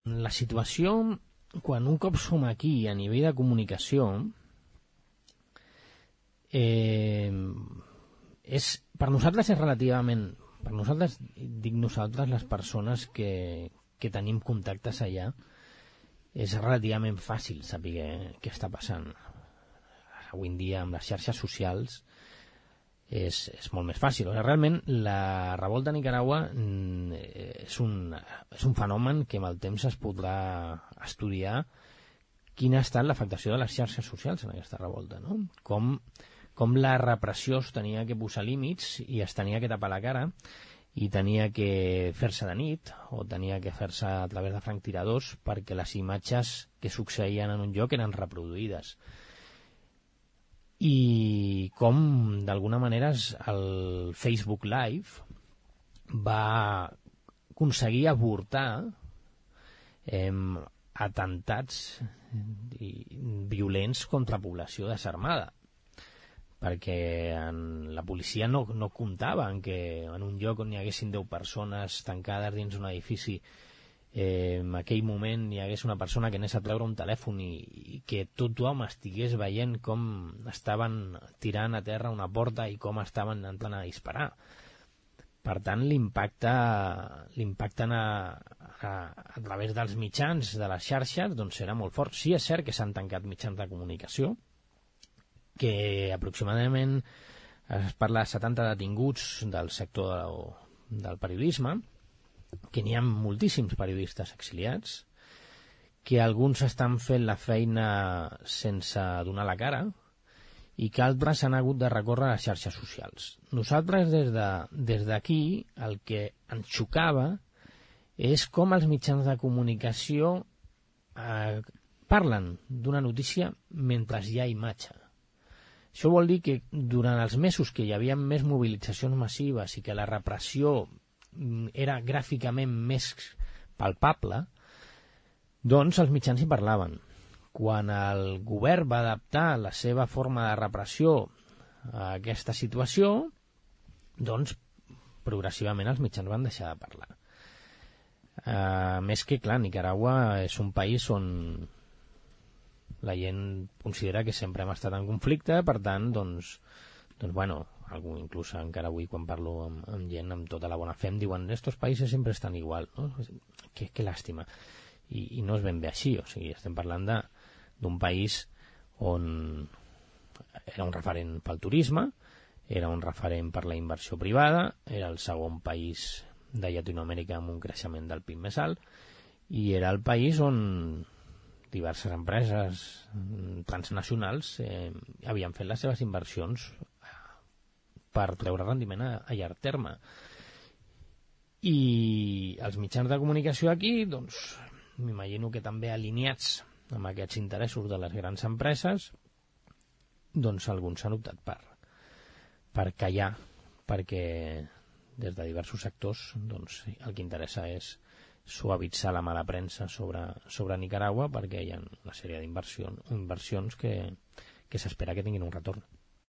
La situació, quan un cop som aquí a nivell de comunicació, per nosaltres és relativament... Per nosaltres, dic nosaltres, les persones que tenim contactes allà, és relativament fàcil saber què està passant. Avui en dia, amb les xarxes socials, és molt més fàcil. Realment, la revolta a Nicaragua és un fenomen que amb el temps es podrà estudiar quina ha estat l'afectació de les xarxes socials en aquesta revolta, no? Com la repressió es tenia que posar límits i es tenia que tapar la cara i tenia que fer-se de nit o tenia que fer-se a través de franctiradors perquè les imatges que succeïen en un lloc eren reproduïdes. I com, d'alguna manera, el Facebook Live va aconseguir avortar atemptats violents contra població desarmada, perquè la policia no comptava en que en un lloc on hi haguessin 10 persones tancades dins un edifici en aquell moment hi hagués una persona que anés a treure un telèfon i que tothom estigués veient com estaven tirant a terra una porta i com estaven entrant a disparar. Per tant, l'impacte a través dels mitjans de les xarxes doncs era molt fort. Sí, és cert que s'han tancat mitjans de comunicació, que aproximadament es parla de 70 detinguts del sector del periodisme, que n'hi ha moltíssims periodistes exiliats, que alguns estan fent la feina sense donar la cara i que altres han hagut de recórrer a les xarxes socials. Nosaltres des d'aquí el que ens xocava és com els mitjans de comunicació parlen d'una notícia mentre hi ha imatge. Això vol dir que durant els mesos que hi havia més mobilitzacions massives i que la repressió era gràficament més palpable, doncs els mitjans hi parlaven. Quan el govern va adaptar la seva forma de repressió a aquesta situació, doncs progressivament els mitjans van deixar de parlar. Més que, clar, Nicaragua és un país on la gent considera que sempre hem estat en conflicte, per tant, inclús encara avui quan parlo amb gent amb tota la bona fe em diuen estos països sempre estan igual, no? Que làstima. I no és ben bé així, o sigui, estem parlant d'un país on era un referent pel turisme, era un referent per la inversió privada, era el segon país de Llatinoamèrica amb un creixement del PIB més alt, i era el país on diverses empreses transnacionals havien fet les seves inversions per treure rendiment a llarg terme. I els mitjans de comunicació aquí, doncs, m'imagino que també alineats amb aquests interessos de les grans empreses, doncs alguns s'han optat per callar, perquè des de diversos sectors doncs, el que interessa és suavitzar la mala premsa sobre Nicaragua, perquè hi ha una sèrie d'inversions que s'espera que tinguin un retorn.